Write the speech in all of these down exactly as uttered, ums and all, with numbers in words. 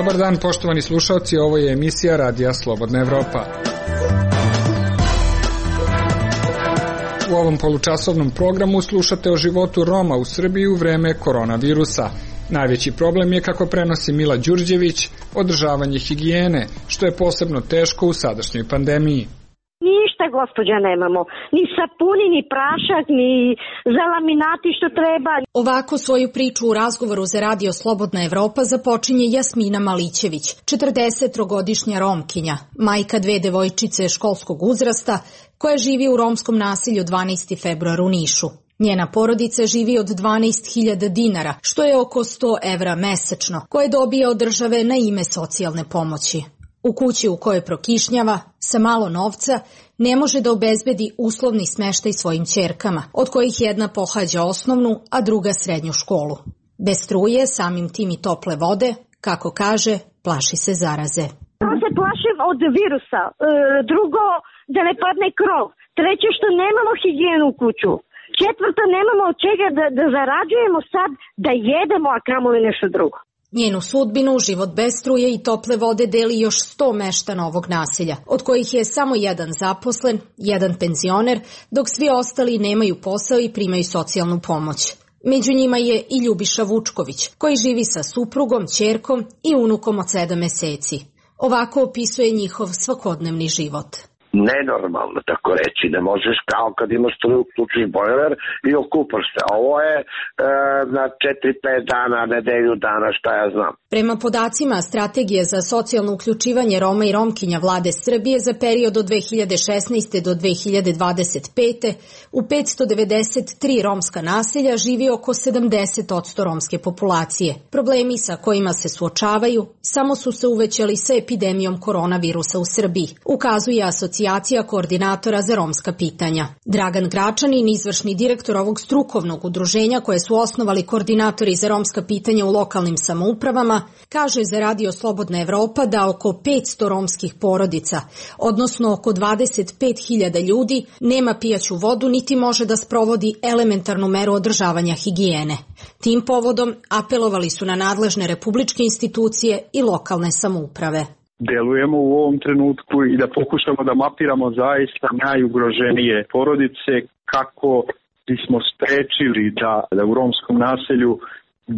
Dobar dan, poštovani slušalci, ovo je emisija Radija Slobodna Evropa. U ovom polučasovnom programu slušate o životu Roma u Srbiji u vreme koronavirusa. Najveći problem je, kako prenosi Mila Đurđević, održavanje higijene, što je posebno teško u sadašnjoj pandemiji. Ništa, gospođa, nemamo. Ni sapuni, ni prašak, ni za laminati što treba. Ovako svoju priču u razgovoru za Radio Slobodna Evropa započinje Jasmina Malićević, četrdesettrogodišnja Romkinja, majka dve devojčice školskog uzrasta, koja živi u romskom naselju dvanaesti februar u Nišu. Njena porodica živi od dvanaest hiljada dinara, što je oko sto evra mesečno, koje dobija od države na ime socijalne pomoći. U kući u kojoj prokišnjava, sa malo novca, ne može da obezbedi uslovni smeštaj svojim ćerkama, od kojih jedna pohađa osnovnu, a druga srednju školu. Bez struje, samim tim i tople vode, kako kaže, plaši se zaraze. Ja se plašim od virusa, e, drugo da ne padne krov, treće što nemamo higijenu u kuću, četvrto nemamo od čega da, da zarađujemo sad da jedemo, a kamoli nešto drugo. Njenu sudbinu, život bez struje i tople vode deli još sto meštana ovog naselja, od kojih je samo jedan zaposlen, jedan penzioner, dok svi ostali nemaju posao i primaju socijalnu pomoć. Među njima je i Ljubiša Vučković, koji živi sa suprugom, ćerkom i unukom od sedam meseci. Ovako opisuje njihov svakodnevni život. Nenormalno, tako reći, ne možeš kao kad imaš struju, uključiš bojler i okupaš se. Ovo je e, na četiri pet dana, nedelju dana, šta ja znam. Prema podacima Strategije za socijalno uključivanje Roma i Romkinja Vlade Srbije za period od dve hiljade šesnaeste do dve hiljade dvadeset pete u petsto devedeset tri romska naselja živi oko sedamdeset posto romske populacije. Problemi sa kojima se suočavaju samo su se uvećali sa epidemijom koronavirusa u Srbiji, ukazuje Asocijacija koordinatora za romska pitanja. Dragan Gračanin, izvršni direktor ovog strukovnog udruženja koje su osnovali koordinatori za romska pitanja u lokalnim samoupravama, kaže za Radio Slobodna Evropa da oko petsto romskih porodica, odnosno oko dvadeset pet hiljada ljudi, nema pijaću vodu niti može da sprovodi elementarnu meru održavanja higijene. Tim povodom apelovali su na nadležne republičke institucije i lokalne samouprave. Delujemo u ovom trenutku i da pokušamo da mapiramo zaista najugroženije porodice kako bismo sprečili da, da u romskom naselju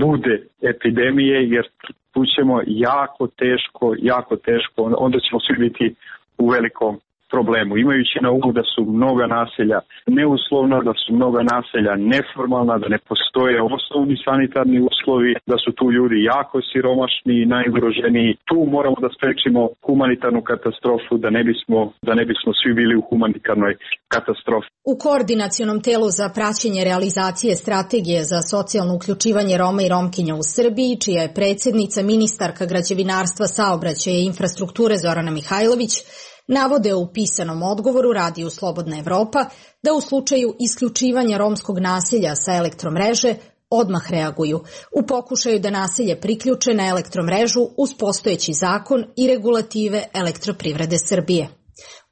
bude epidemije, jer tu ćemo jako teško, jako teško, onda ćemo svi biti u velikom problemu. Imajući na umu da su mnoga naselja neuslovna, da su mnoga naselja neformalna, da ne postoje osnovni sanitarni uslovi, da su tu ljudi jako siromašni i najugroženiji. Tu moramo da sprečimo humanitarnu katastrofu, da ne bismo, da ne bismo svi bili u humanitarnoj katastrofi. U Koordinacionom telu za praćenje realizacije Strategije za socijalno uključivanje Roma i Romkinja u Srbiji, čija je predsjednica ministarka građevinarstva, saobraćaja i infrastrukture Zorana Mihajlović, navode u pisanom odgovoru Radiju Slobodna Evropa da u slučaju isključivanja romskog naselja sa elektromreže odmah reaguju u pokušaju da naselje priključe na elektromrežu uz postojeći zakon i regulative Elektroprivrede Srbije.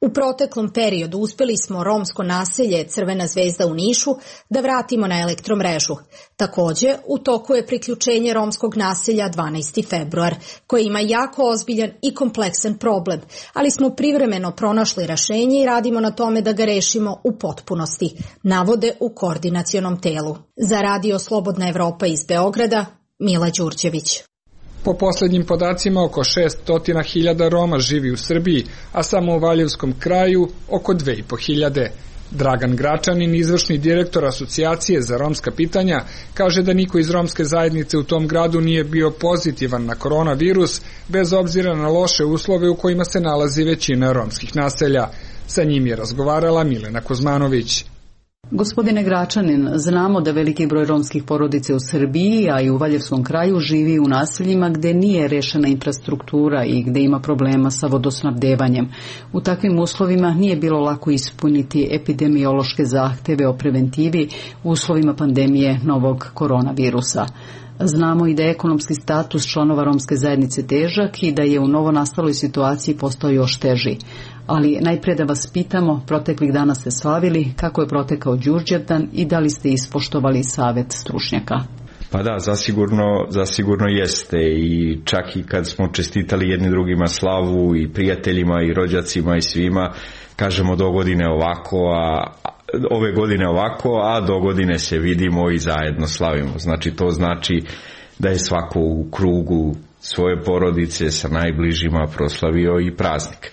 U proteklom periodu uspeli smo romsko naselje Crvena zvezda u Nišu da vratimo na elektromrežu. Takođe, u toku je priključenje romskog naselja dvanaesti februar, koje ima jako ozbiljan i kompleksan problem, ali smo privremeno pronašli rešenje i radimo na tome da ga rešimo u potpunosti, navode u koordinacionom telu. Za Radio Slobodna Evropa iz Beograda, Mila Đurđević. Po poslednjim podacima, oko šesto hiljada Roma živi u Srbiji, a samo u Valjevskom kraju oko dve i po hiljade. Dragan Gračanin, izvršni direktor Asocijacije za romska pitanja, kaže da niko iz romske zajednice u tom gradu nije bio pozitivan na koronavirus, bez obzira na loše uslove u kojima se nalazi većina romskih naselja. Sa njim je razgovarala Milena Kuzmanović. Gospodine Gračanin, znamo da veliki broj romskih porodica u Srbiji, a i u Valjevskom kraju živi u naseljima gde nije rešena infrastruktura i gde ima problema sa vodosnabdevanjem. U takvim uslovima nije bilo lako ispuniti epidemiološke zahteve o preventivi u uslovima pandemije novog koronavirusa. Znamo i da je ekonomski status članova romske zajednice težak i da je u novonastaloj situaciji postao još teži. Ali najpre da vas pitamo, proteklih dana ste slavili, kako je protekao Đurđevdan i da li ste ispoštovali savet stručnjaka? Pa da, zasigurno, zasigurno jeste i čak i kad smo čestitali jedni drugima slavu i prijateljima i rođacima i svima, kažemo do godine ovako, a ove godine ovako, a do godine se vidimo i zajedno slavimo. Znači to znači da je svako u krugu svoje porodice sa najbližima proslavio i praznik.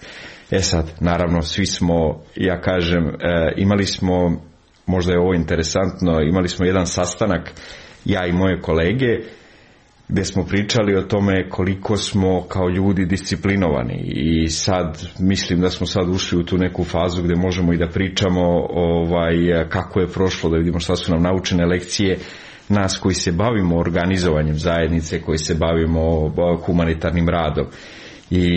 E sad, naravno, svi smo, ja kažem, e, imali smo, možda je ovo interesantno, imali smo jedan sastanak, ja i moje kolege, gdje smo pričali o tome koliko smo kao ljudi disciplinovani i sad mislim da smo sad ušli u tu neku fazu gdje možemo i da pričamo ovaj, kako je prošlo, da vidimo šta su nam naučene lekcije nas koji se bavimo organizovanjem zajednice, koji se bavimo humanitarnim radom. I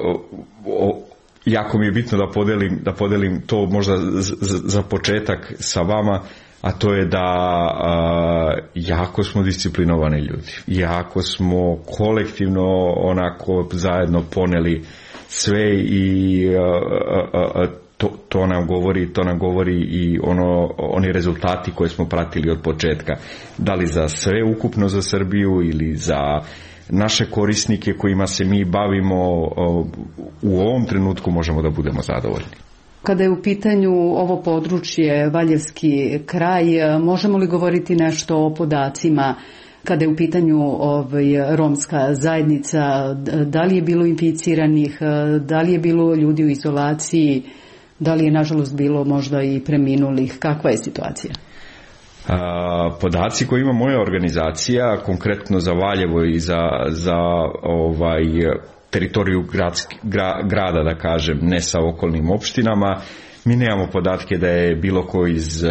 o, o, jako mi je bitno da podelim, da podelim to možda z, z, za početak sa vama, a to je da a, jako smo disciplinovani ljudi, jako smo kolektivno onako zajedno poneli sve i a, a, a, to, to nam govori, to nam govori i ono, oni rezultati koje smo pratili od početka, da li za sve ukupno za Srbiju ili za naše korisnike kojima se mi bavimo, u ovom trenutku možemo da budemo zadovoljni. Kada je u pitanju ovo područje, Valjevski kraj, možemo li govoriti nešto o podacima? Kada je u pitanju ovaj, romska zajednica, da li je bilo inficiranih, da li je bilo ljudi u izolaciji, da li je nažalost bilo možda i preminulih, kakva je situacija? A, podaci koje ima moja organizacija, konkretno za Valjevo i za, za ovaj, teritoriju gradski, gra, grada, da kažem, ne sa okolnim opštinama, mi nemamo podatke da je bilo ko, iz,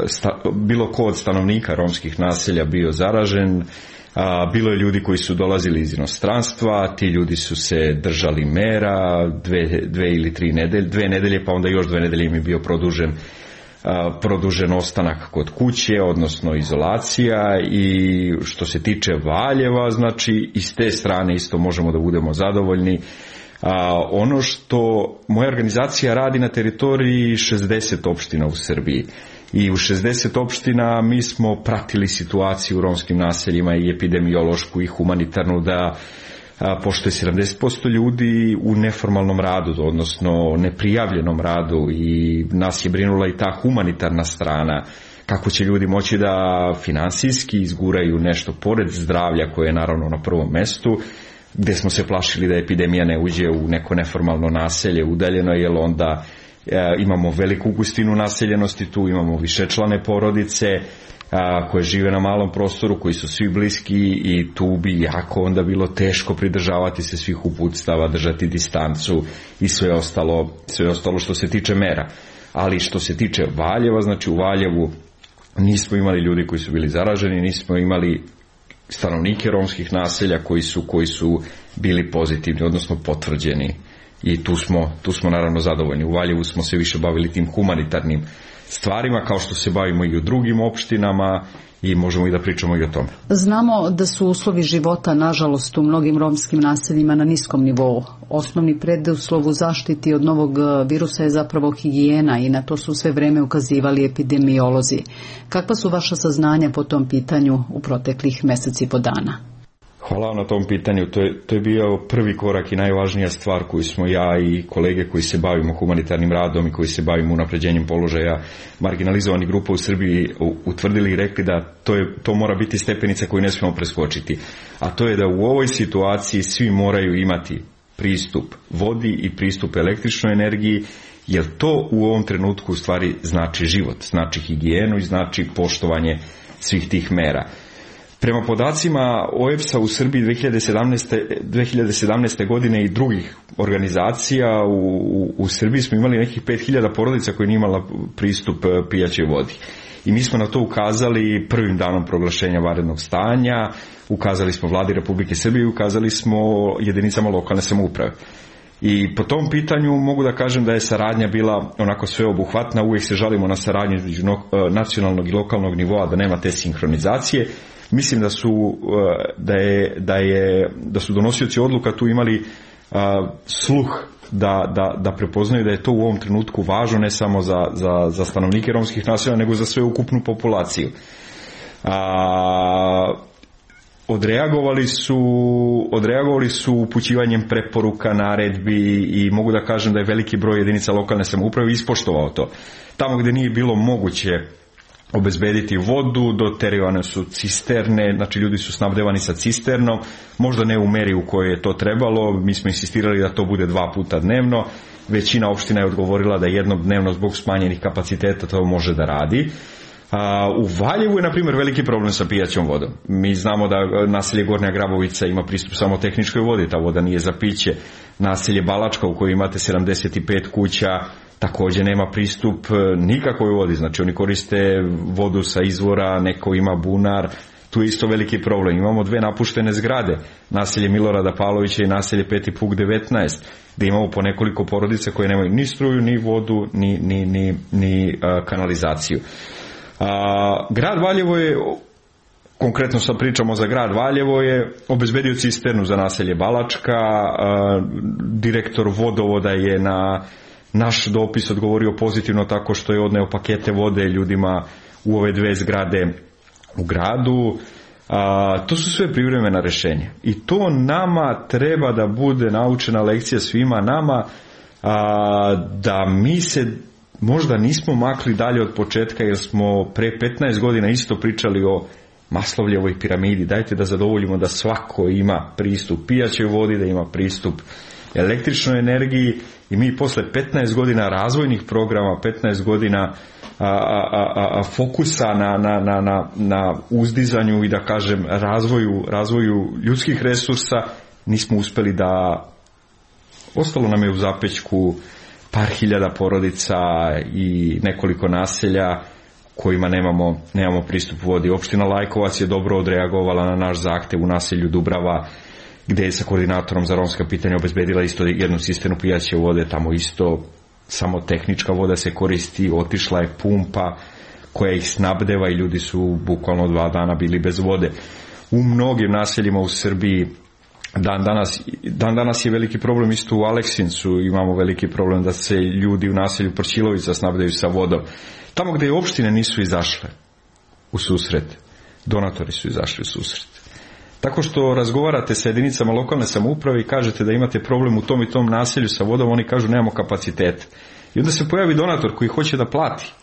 sta, bilo ko od stanovnika romskih naselja bio zaražen. A, bilo je ljudi koji su dolazili iz inostranstva, ti ljudi su se držali mera dve, dve ili tri nedelje, dve nedelje, pa onda još dve nedelje im je bio produžen produžen ostanak kod kuće, odnosno izolacija. I što se tiče Valjeva, znači i s te strane isto možemo da budemo zadovoljni. A, ono što moja organizacija radi na teritoriji šezdeset opština u Srbiji i u šezdeset opština mi smo pratili situaciju u romskim naseljima i epidemiološku i humanitarnu, da a, pošto je sedamdeset posto ljudi u neformalnom radu, odnosno neprijavljenom radu, i nas je brinula i ta humanitarna strana, kako će ljudi moći da finansijski izguraju nešto pored zdravlja koje je naravno na prvom mestu, gdje smo se plašili da epidemija ne uđe u neko neformalno naselje udaljeno, jer onda e, imamo veliku gustinu naseljenosti, tu imamo višečlane porodice a, koje žive na malom prostoru, koji su svi bliski, i tu bi jako onda bilo teško pridržavati se svih uputstava, držati distancu i sve ostalo, sve ostalo što se tiče mera. Ali što se tiče Valjeva, znači u Valjevu nismo imali ljudi koji su bili zaraženi, nismo imali stanovnike romskih naselja koji su, koji su bili pozitivni, odnosno potvrđeni, i tu smo, tu smo naravno zadovoljni. U Valjevu smo se više bavili tim humanitarnim stvarima, kao što se bavimo i u drugim opštinama, i možemo i da pričamo i o tome. Znamo da su uslovi života, nažalost, u mnogim romskim naseljima na niskom nivou. Osnovni preduslov u zaštiti od novog virusa je zapravo higijena, i na to su sve vreme ukazivali epidemiolozi. Kakva su vaša saznanja po tom pitanju u proteklih meseci i po dana? Hvala na tom pitanju. To je, to je bio prvi korak i najvažnija stvar koju smo ja i kolege koji se bavimo humanitarnim radom i koji se bavimo unapređenjem položaja marginalizovanih grupa u Srbiji utvrdili i rekli da to, je, to mora biti stepenica koju ne smijemo preskočiti. A to je da u ovoj situaciji svi moraju imati pristup vodi i pristup električnoj energiji, jer to u ovom trenutku u stvari znači život, znači higijenu i znači poštovanje svih tih mera. Prema podacima O E B S-a u Srbiji dve hiljade sedamnaeste. godine i drugih organizacija u, u, u Srbiji smo imali nekih pet hiljada porodica koji nije imala pristup pijaćoj vodi. I mi smo na to ukazali prvim danom proglašenja vanrednog stanja, ukazali smo Vladi Republike Srbije i ukazali smo jedinicama lokalne samouprave. I po tom pitanju mogu da kažem da je saradnja bila onako sveobuhvatna, uvijek se žalimo na saradnju između nacionalnog i lokalnog nivoa, da nema te sinhronizacije. Mislim da su, da je, da je, da su donosioci odluka tu imali a, sluh da, da, da prepoznaju da je to u ovom trenutku važno ne samo za, za, za stanovnike romskih naselja, nego za sveukupnu populaciju. A, odreagovali su, odreagovali su upućivanjem preporuka, naredbi i mogu da kažem da je veliki broj jedinica lokalne samouprave ispoštovao to. Tamo gdje nije bilo moguće obezbediti vodu, doterivane su cisterne, znači ljudi su snabdevani sa cisternom, možda ne u meri u kojoj je to trebalo, mi smo insistirali da to bude dva puta dnevno, većina opština je odgovorila da jednom dnevno zbog smanjenih kapaciteta to može da radi. A, u Valjevu je, na primjer, veliki problem sa pijaćom vodom. Mi znamo da naselje Gornja Grabovica ima pristup samo tehničkoj vodi, ta voda nije za piće. Naselje Balačka u kojoj imate sedamdeset pet kuća također nema pristup nikakvoj vodi, znači oni koriste vodu sa izvora, neko ima bunar, tu je isto veliki problem. Imamo dve napuštene zgrade, naselje Milorada Pavlovića i naselje Peti Puk devetnaest, gdje imamo po nekoliko porodica koje nemaju ni struju, ni vodu, ni, ni, ni, ni a, kanalizaciju. A, grad Valjevo je, konkretno sad pričamo za grad Valjevo, je obezbedio cisternu za naselje Balačka, a, direktor vodovoda je na naš dopis odgovorio pozitivno tako što je odneo pakete vode ljudima u ove dve zgrade u gradu. A, to su sve privremena rješenja i to nama treba da bude naučena lekcija svima nama, a, da mi se možda nismo makli dalje od početka, jer smo pre petnaest godina isto pričali o Maslovljevoj piramidi. Dajte da zadovoljimo da svako ima pristup pijaćoj vodi, da ima pristup električnoj energiji, i mi posle petnaest godina razvojnih programa, petnaest godina a, a, a, a fokusa na, na, na, na, na uzdizanju i da kažem razvoju, razvoju ljudskih resursa, nismo uspeli da, ostalo nam je u zapećku par hiljada porodica i nekoliko naselja kojima nemamo, nemamo pristup vodi. Opština Lajkovac je dobro odreagovala na naš zahtev u naselju Dubrava, gdje je sa koordinatorom za romska pitanja obezbedila isto jednu cisternu pijaće vode, tamo isto samo tehnička voda se koristi, otišla je pumpa koja ih snabdeva i ljudi su bukvalno dva dana bili bez vode. U mnogim naseljima u Srbiji dan danas, dan danas je veliki problem, isto u Aleksincu imamo veliki problem da se ljudi u naselju Prčilovica snabdevaju sa vodom. Tamo gdje opštine nisu izašle u susret, donatori su izašli u susret. Tako što razgovarate sa jedinicama lokalne samouprave i kažete da imate problem u tom i tom naselju sa vodom, oni kažu nemamo kapacitet. I onda se pojavi donator koji hoće da plati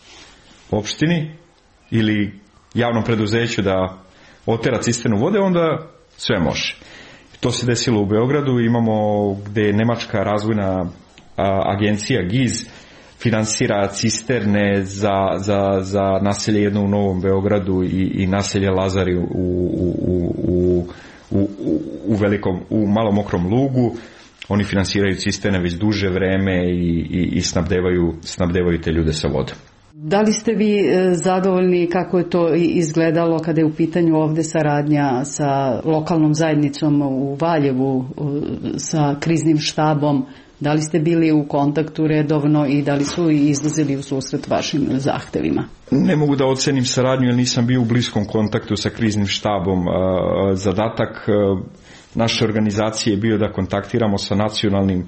opštini ili javnom preduzeću da otera cisternu vode, onda sve može. To se desilo u Beogradu, imamo gdje je Nemačka razvojna agencija G I Z finansira cisterne za, za, za naselje jedno u Novom Beogradu i, i naselje Lazari u, u, u, u, u, velikom, u malom Mokrom Lugu. Oni finansiraju cisterne već duže vreme i, i, i snabdevaju, snabdevaju te ljude sa vodom. Da li ste vi zadovoljni kako je to izgledalo kada je u pitanju ovdje saradnja sa lokalnom zajednicom u Valjevu, sa kriznim štabom? Da li ste bili u kontaktu redovno i da li su izlazili u susret vašim zahtevima? Ne mogu da ocenim saradnju jer nisam bio u bliskom kontaktu sa kriznim štabom. Zadatak naše organizacije je bio da kontaktiramo sa nacionalnim,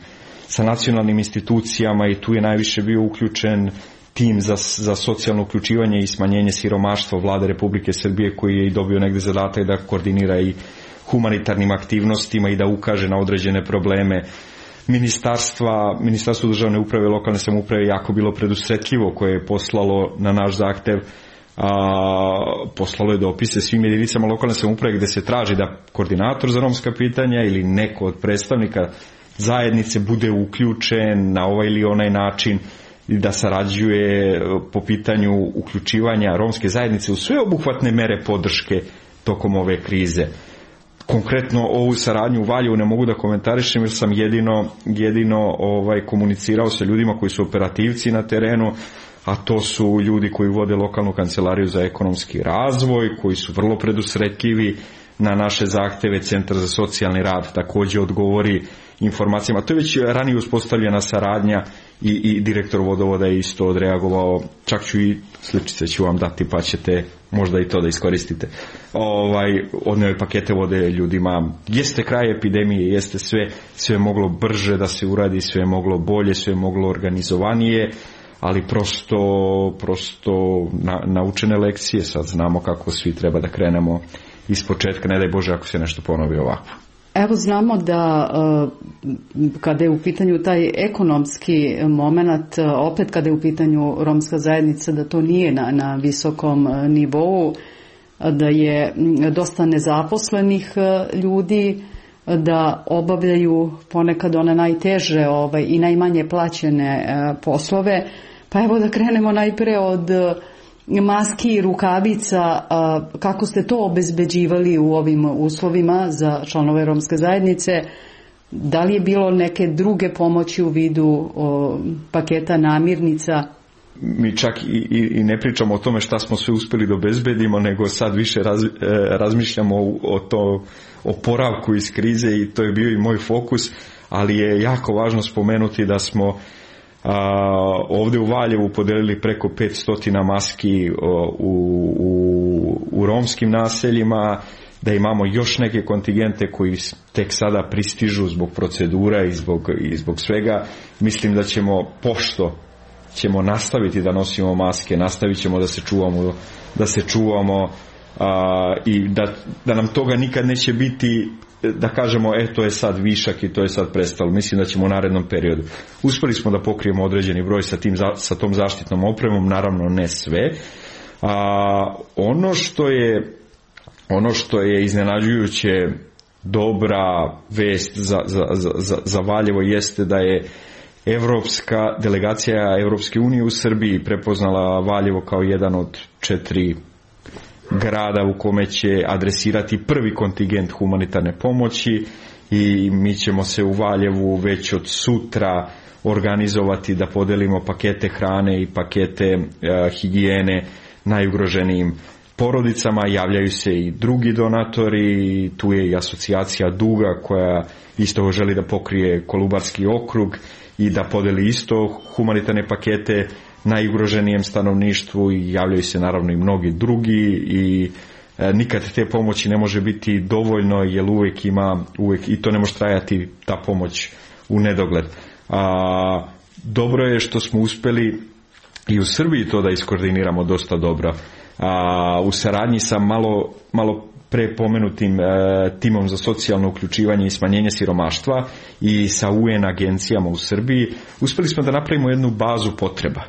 sa nacionalnim institucijama i tu je najviše bio uključen tim za, za socijalno uključivanje i smanjenje siromaštva Vlade Republike Srbije, koji je i dobio negdje zadatak da koordinira i humanitarnim aktivnostima i da ukaže na određene probleme. Ministarstva, Ministarstvo državne uprave i lokalne samouprave je jako bilo predusretljivo, koje je poslalo na naš zahtev, a, poslalo je dopise svim jedinicama lokalne samouprave gdje se traži da koordinator za romska pitanja ili neko od predstavnika zajednice bude uključen na ovaj ili onaj način i da sarađuje po pitanju uključivanja romske zajednice u sve obuhvatne mere podrške tokom ove krize. Konkretno ovu saradnju u Valjevu ne mogu da komentarišem jer sam jedino, jedino ovaj, komunicirao sa ljudima koji su operativci na terenu, a to su ljudi koji vode lokalnu kancelariju za ekonomski razvoj, koji su vrlo predusretljivi na naše zahteve. Centar za socijalni rad također odgovori informacijama. To je već ranije uspostavljena saradnja i, i direktor vodovoda je isto odreagovao. Čak ću i sličice ću vam dati pa ćete možda i to da iskoristite. Ovaj, odneo je pakete vode ljudima. Jeste kraj epidemije, jeste sve, sve moglo brže da se uradi, sve moglo bolje, sve moglo organizovanije. ali prosto, prosto na, naučene lekcije, sad znamo kako svi treba da krenemo iz početka, ne daj Bože ako se nešto ponovi ovako. Evo znamo da kada je u pitanju taj ekonomski moment, opet kada je u pitanju romska zajednica, da to nije na, na visokom nivou, da je dosta nezaposlenih ljudi, da obavljaju ponekad one najteže ovaj, i najmanje plaćene poslove. Pa evo da krenemo najpre od maski i rukavica. Kako ste to obezbeđivali u ovim uslovima za članove romske zajednice? Da li je bilo neke druge pomoći u vidu o, paketa namirnica? Mi čak i, i, i ne pričamo o tome šta smo sve uspjeli da obezbedimo, nego sad više raz, e, razmišljamo o, o to oporavku iz krize i to je bio i moj fokus, ali je jako važno spomenuti da smo a, ovdje u Valjevu podelili preko petsto maski o, u, u, u romskim naseljima, da imamo još neke kontingente koji tek sada pristižu zbog procedura i zbog, i zbog svega. Mislim da ćemo, pošto ćemo nastaviti da nosimo maske, nastavit ćemo da se čuvamo, da se čuvamo a, i da, da nam toga nikad neće biti, da kažemo e to je sad višak i to je sad prestalo. Mislim da ćemo u narednom periodu. Uspeli smo da pokrijemo određeni broj sa, tim, sa tom zaštitnom opremom, naravno ne sve. A, ono što je ono što je iznenađujuće dobra vest za, za, za, za Valjevo jeste da je Evropska delegacija Evropske unije u Srbiji prepoznala Valjevo kao jedan od četiri grada u kome će adresirati prvi kontingent humanitarne pomoći i mi ćemo se u Valjevu već od sutra organizovati da podelimo pakete hrane i pakete e, higijene najugroženijim porodicama. Javljaju se i drugi donatori, tu je i asocijacija Duga koja isto želi da pokrije Kolubarski okrug i da podeli isto humanitarne pakete najugroženijem stanovništvu i javljaju se naravno i mnogi drugi i e, nikad te pomoći ne može biti dovoljno jer uvijek ima, uvijek, i to ne može trajati ta pomoć u nedogled. A, dobro je što smo uspjeli i u Srbiji to da iskoordiniramo dosta dobro. A, u saradnji sa malo, malo pre pomenutim e, timom za socijalno uključivanje i smanjenje siromaštva i sa U N agencijama u Srbiji, uspjeli smo da napravimo jednu bazu potreba.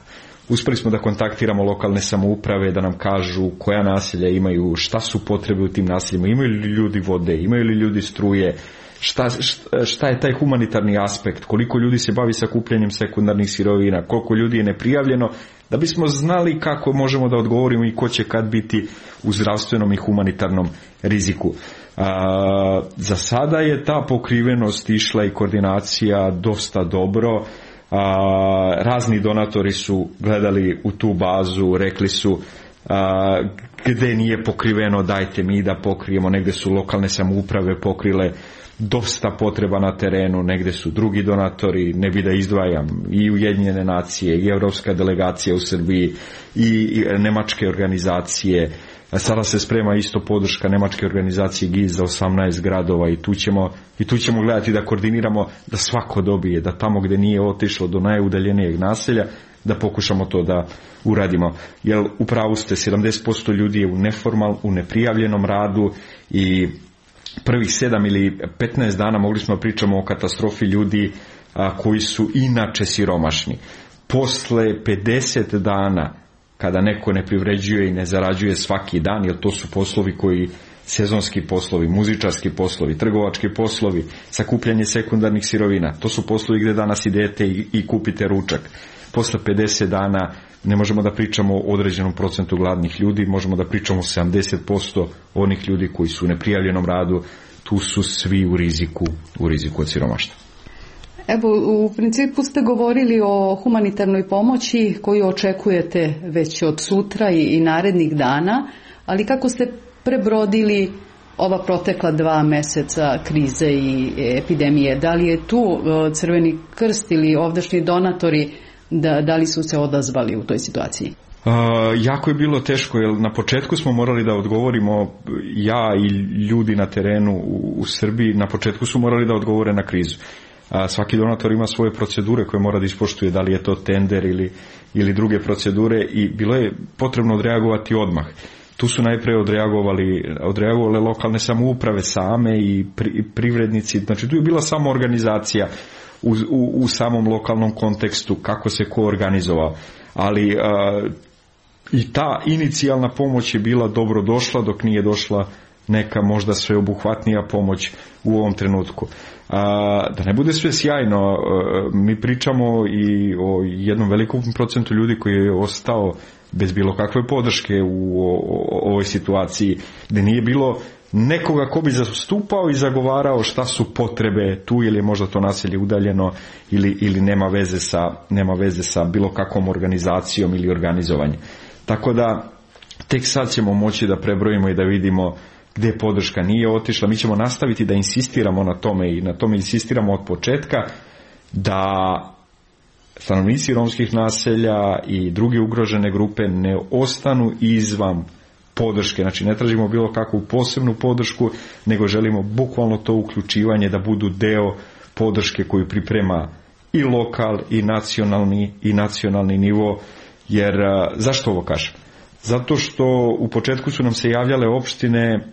Uspjeli smo da kontaktiramo lokalne samouprave, da nam kažu koja naselja imaju, šta su potrebe u tim naseljima, imaju li ljudi vode, imaju li ljudi struje, šta, šta je taj humanitarni aspekt, koliko ljudi se bavi sakupljanjem sekundarnih sirovina, koliko ljudi je neprijavljeno, da bismo znali kako možemo da odgovorimo i ko će kad biti u zdravstvenom i humanitarnom riziku. A, za sada je ta pokrivenost išla i koordinacija dosta dobro. A, razni donatori su gledali u tu bazu, rekli su a, gde nije pokriveno dajte mi da pokrijemo, negde su lokalne samouprave pokrile dosta potreba na terenu, negde su drugi donatori, ne bi da izdvajam, i Ujedinjene nacije, i Evropska delegacija u Srbiji, i nemačke organizacije. Sada se sprema isto podrška nemačke organizacije G I Z za osamnaest gradova i tu ćemo, i tu ćemo gledati da koordiniramo da svako dobije, da tamo gde nije otišlo do najudaljenijeg naselja, da pokušamo to da uradimo. Jer u pravu ste, sedamdeset posto ljudi je u neformal, u neprijavljenom radu i prvih sedam ili petnaest dana mogli smo pričamo o katastrofi ljudi a, koji su inače siromašni. Posle pedeset dana, kada neko ne privređuje i ne zarađuje svaki dan, jer to su poslovi koji, sezonski poslovi, muzičarski poslovi, trgovački poslovi, sakupljanje sekundarnih sirovina, to su poslovi gde danas idete i, i kupite ručak. Posle pedeset dana ne možemo da pričamo o određenom procentu gladnih ljudi, možemo da pričamo o sedamdeset posto onih ljudi koji su u neprijavljenom radu, tu su svi u riziku, u riziku od siromaštva. Evo, u principu ste govorili o humanitarnoj pomoći koju očekujete već od sutra i, i narednih dana, ali kako ste prebrodili ova protekla dva meseca krize i epidemije? Da li je tu Crveni krst ili ovdašnji donatori, da, da li su se odazvali u toj situaciji? Uh, jako je bilo teško, jer na početku smo morali da odgovorimo, ja i ljudi na terenu u, u Srbiji, na početku su morali da odgovore na krizu. a, svaki donator ima svoje procedure koje mora da ispoštuje, da li je to tender ili, ili druge procedure, i bilo je potrebno odreagovati odmah. Tu su najpre odreagovali, odreagovale lokalne samouprave same i pri, privrednici, znači tu je bila samo organizacija u, u, u samom lokalnom kontekstu, kako se ko organizovao, ali a, i ta inicijalna pomoć je bila dobro došla dok nije došla neka možda sveobuhvatnija pomoć u ovom trenutku. A, da ne bude sve sjajno, a, mi pričamo i o jednom velikom procentu ljudi koji je ostao bez bilo kakve podrške u o, o, ovoj situaciji, gdje nije bilo nekoga ko bi zastupao i zagovarao šta su potrebe tu, ili je možda to naselje udaljeno ili, ili nema veze sa, nema veze sa bilo kakvom organizacijom ili organizovanjem. Tako da tek sad ćemo moći da prebrojimo i da vidimo gdje podrška nije otišla. Mi ćemo nastaviti da insistiramo na tome i na tome insistiramo od početka, da stanovnici romskih naselja i druge ugrožene grupe ne ostanu izvan podrške. Znači ne tražimo bilo kakvu posebnu podršku, nego želimo bukvalno to uključivanje da budu deo podrške koju priprema i lokal i nacionalni i nacionalni nivo. Jer zašto ovo kažem? Zato što u početku su nam se javljale opštine,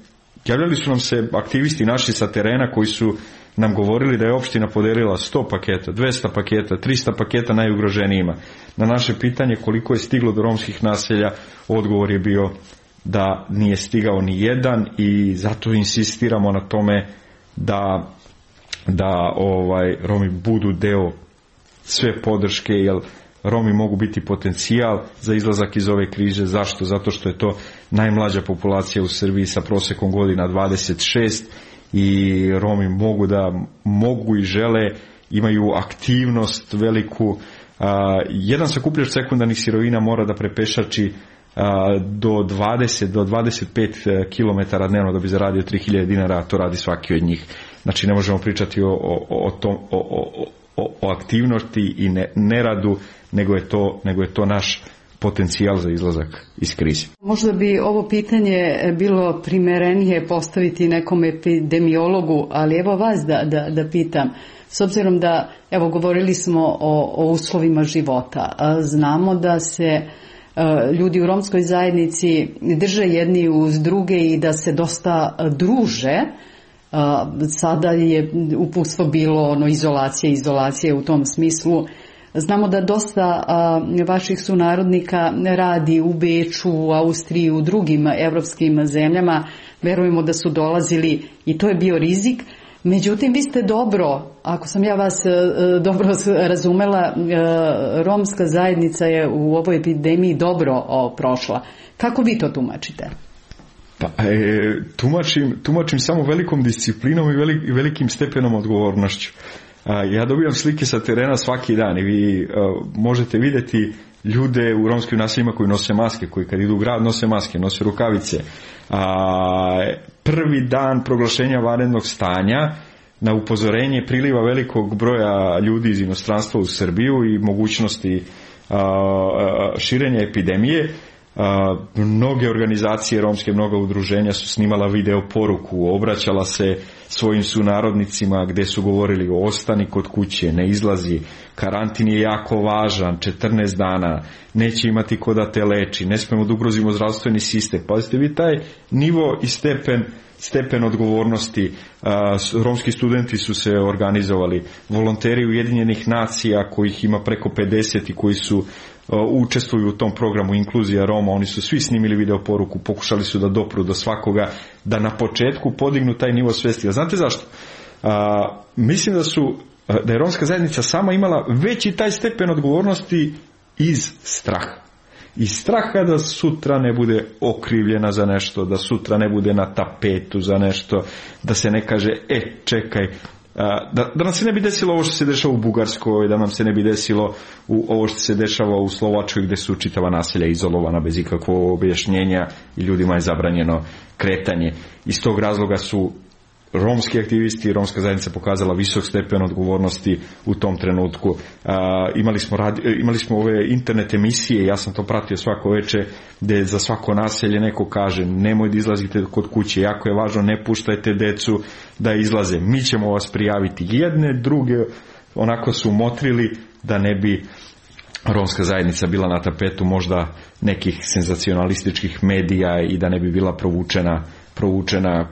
javljali su nam se aktivisti naši sa terena koji su nam govorili da je opština podelila sto paketa, dvesta paketa, trista paketa najugroženijima. Na naše pitanje koliko je stiglo do romskih naselja, odgovor je bio da nije stigao ni jedan, i zato insistiramo na tome da, da ovaj, Romi budu deo sve podrške, jer Romi mogu biti potencijal za izlazak iz ove krize. Zašto? Zato što je to najmlađa populacija u Srbiji sa prosekom godina dvadeset šest, i Romi mogu da mogu i žele, imaju aktivnost veliku. A, jedan sakupljač sekundarnih sirovina mora da prepešači a, do dvadeset do dvadeset pet kilometara dnevno da bi zaradio tri hiljade dinara, a to radi svaki od njih. Znači ne možemo pričati o, o, o, tom, o, o, o aktivnosti i ne, neradu, nego je to, nego je to naš potencijal za izlazak iz krize. Možda bi ovo pitanje bilo primerenije postaviti nekom epidemiologu, ali evo vas da, da, da pitam. S obzirom da, evo, govorili smo o, o uslovima života. Znamo da se ljudi u romskoj zajednici drže jedni uz druge i da se dosta druže. Sada je uputstvo bilo ono, izolacije, izolacije u tom smislu. Znamo da dosta a, vaših sunarodnika radi u Beču, u Austriji, u drugim evropskim zemljama. Verujemo da su dolazili i to je bio rizik. Međutim, vi ste dobro, ako sam ja vas a, dobro razumela, a, romska zajednica je u ovoj epidemiji dobro o, prošla. Kako vi to tumačite? Pa, e, tumačim, tumačim samo velikom disciplinom i, velik, i velikim stepenom odgovornošću. Ja dobijam slike sa terena svaki dan i vi uh, možete vidjeti ljude u romskim naseljima koji nose maske, koji kad idu u grad nose maske, nose rukavice. A, prvi dan proglašenja vanrednog stanja, na upozorenje priliva velikog broja ljudi iz inostranstva u Srbiju i mogućnosti uh, širenja epidemije, Uh, mnoge organizacije romske, mnoga udruženja su snimala video poruku, obraćala se svojim sunarodnicima gdje su govorili ostani kod kuće, ne izlazi, karantin je jako važan, četrnaest dana, neće imati ko da te leči, ne smemo da ugrozimo zdravstveni sistem. Pazite vi taj nivo i stepen, stepen odgovornosti. Uh, romski studenti su se organizovali, volonteri Ujedinjenih nacija kojih ima preko pedeset i koji su učestvuju u tom programu Inkluzija Roma, oni su svi snimili video poruku, pokušali su da dopru do svakoga, da na početku podignu taj nivo svesti. A znate zašto? A, mislim da su da je romska zajednica sama imala veći taj stepen odgovornosti iz straha. Iz straha da sutra ne bude okrivljena za nešto, da sutra ne bude na tapetu za nešto, da se ne kaže, e, čekaj, Da, da nam se ne bi desilo ovo što se dešava u Bugarskoj, da nam se ne bi desilo u ovo što se dešava u Slovačkoj gdje su čitava naselja izolovana bez ikakvog objašnjenja i ljudima je zabranjeno kretanje. Iz tog razloga su romski aktivisti i romska zajednica pokazala visok stepen odgovornosti u tom trenutku. A, imali smo radi, imali smo ove internet emisije, ja sam to pratio svako veče, gde za svako naselje neko kaže nemoj da izlazite kod kuće, jako je važno, ne puštajte decu da izlaze, mi ćemo vas prijaviti. Jedne, druge onako su motrili da ne bi romska zajednica bila na tapetu možda nekih senzacionalističkih medija i da ne bi bila provučena, provučena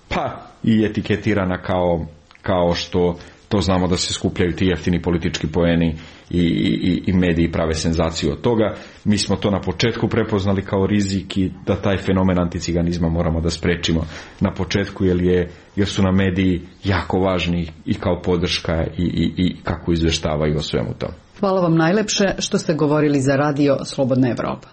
pa i etiketirana kao, kao što to znamo da se skupljaju ti jeftini politički poeni i, i, i mediji prave senzaciju od toga. Mi smo to na početku prepoznali kao rizik i da taj fenomen anticiganizma moramo da sprečimo na početku, jer, je, jer su nam mediji jako važni i kao podrška i, i, i kako izveštavaju o svemu tom. Hvala vam najlepše što ste govorili za radio Slobodna Evropa.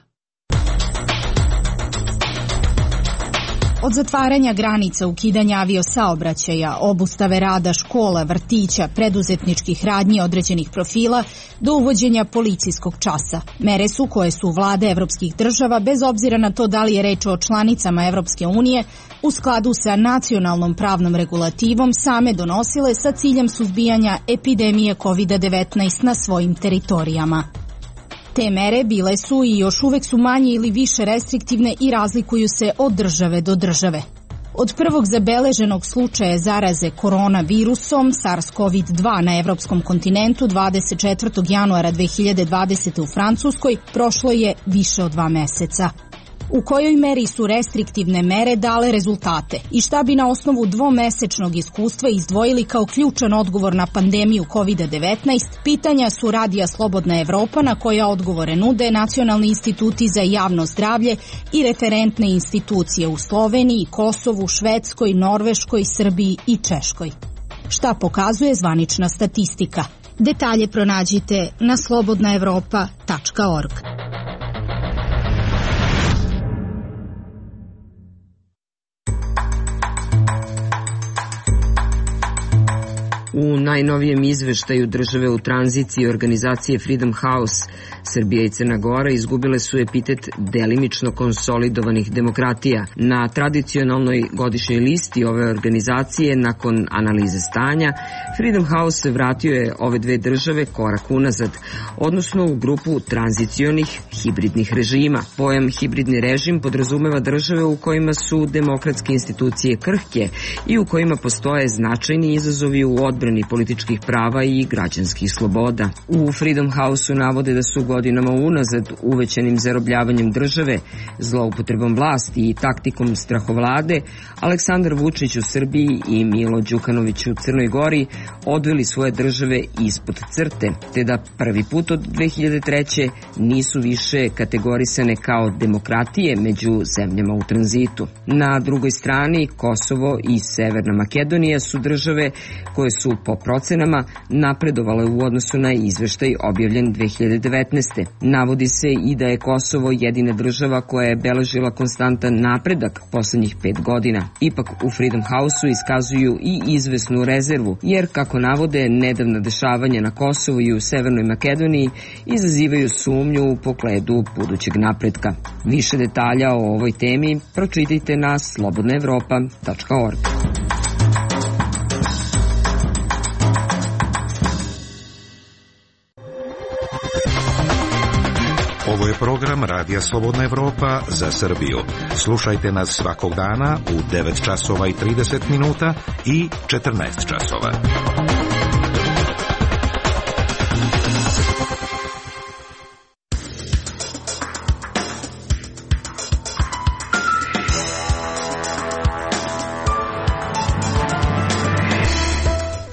Od zatvaranja granica, ukidanja aviosaobraćaja, obustave rada škola, vrtića, preduzetničkih radnji određenih profila, do uvođenja policijskog časa. Mere su koje su vlade evropskih država, bez obzira na to da li je reč o članicama Evropske unije, u skladu sa nacionalnom pravnom regulativom same donosile sa ciljem suzbijanja epidemije kovid devetnaest na svojim teritorijama. Te mere bile su i još uvek su manje ili više restriktivne i razlikuju se od države do države. Od prvog zabeleženog slučaja zaraze koronavirusom SARS-CoV dva na evropskom kontinentu dvadeset četvrtog januara dve hiljade dvadesete. u Francuskoj prošlo je više od dva meseca. U kojoj meri su restriktivne mere dale rezultate i šta bi na osnovu dvomesečnog iskustva izdvojili kao ključan odgovor na pandemiju kovid devetnaest, pitanja su Radija Slobodna Evropa na koja odgovore nude nacionalni instituti za javno zdravlje i referentne institucije u Sloveniji, Kosovu, Švedskoj, Norveškoj, Srbiji i Češkoj. Šta pokazuje zvanična statistika? Detalje pronađite na slobodna evropa tačka org. U najnovijem izveštaju države u tranziciji organizacije Freedom House, Srbija i Crna Gora izgubile su epitet delimično konsolidovanih demokratija. Na tradicionalnoj godišnjoj listi ove organizacije, nakon analize stanja, Freedom House vratio je ove dve države korak unazad, odnosno u grupu tranzicionih hibridnih režima. Pojam hibridni režim podrazumeva države u kojima su demokratske institucije krhke i u kojima postoje značajni izazovi u odbrani političkih prava i građanskih sloboda. U Freedom House-u navode da su godinama unazad uvećanim zarobljavanjem države, zloupotrebom vlasti i taktikom strahovlade Aleksandar Vučić u Srbiji i Milo Đukanović u Crnoj Gori odveli svoje države ispod crte, te da prvi put od dve hiljade treće. nisu više kategorisane kao demokratije među zemljama u tranzitu. Na drugoj strani Kosovo i Severna Makedonija su države koje su po procenama napredovale u odnosu na izveštaj objavljen dve hiljade devetnaeste. Navodi se i da je Kosovo jedina država koja je beležila konstantan napredak poslednjih pet godina. Ipak u Freedom House-u iskazuju i izvesnu rezervu, jer kako navode nedavna dešavanja na Kosovu i u Severnoj Makedoniji izazivaju sumnju u pogledu budućeg napretka. Više detalja o ovoj temi pročitajte na slobodna evropa tačka org. Ovo je program Radija Slobodna Evropa za Srbiju. Slušajte nas svakog dana u devet časova i trideset minuta i četrnaest časova.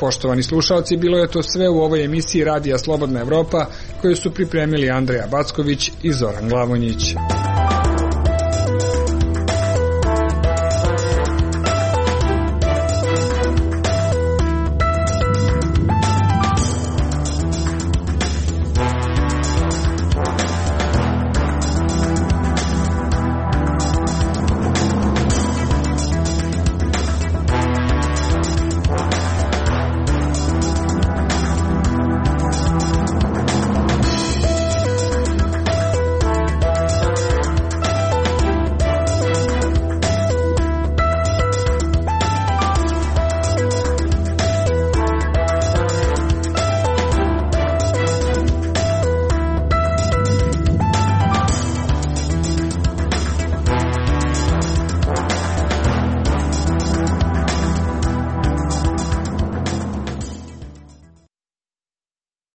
Poštovani slušalci, bilo je to sve u ovoj emisiji Radija Slobodna Evropa koju su pripremili Andreja Backović i Zoran Glavonjić.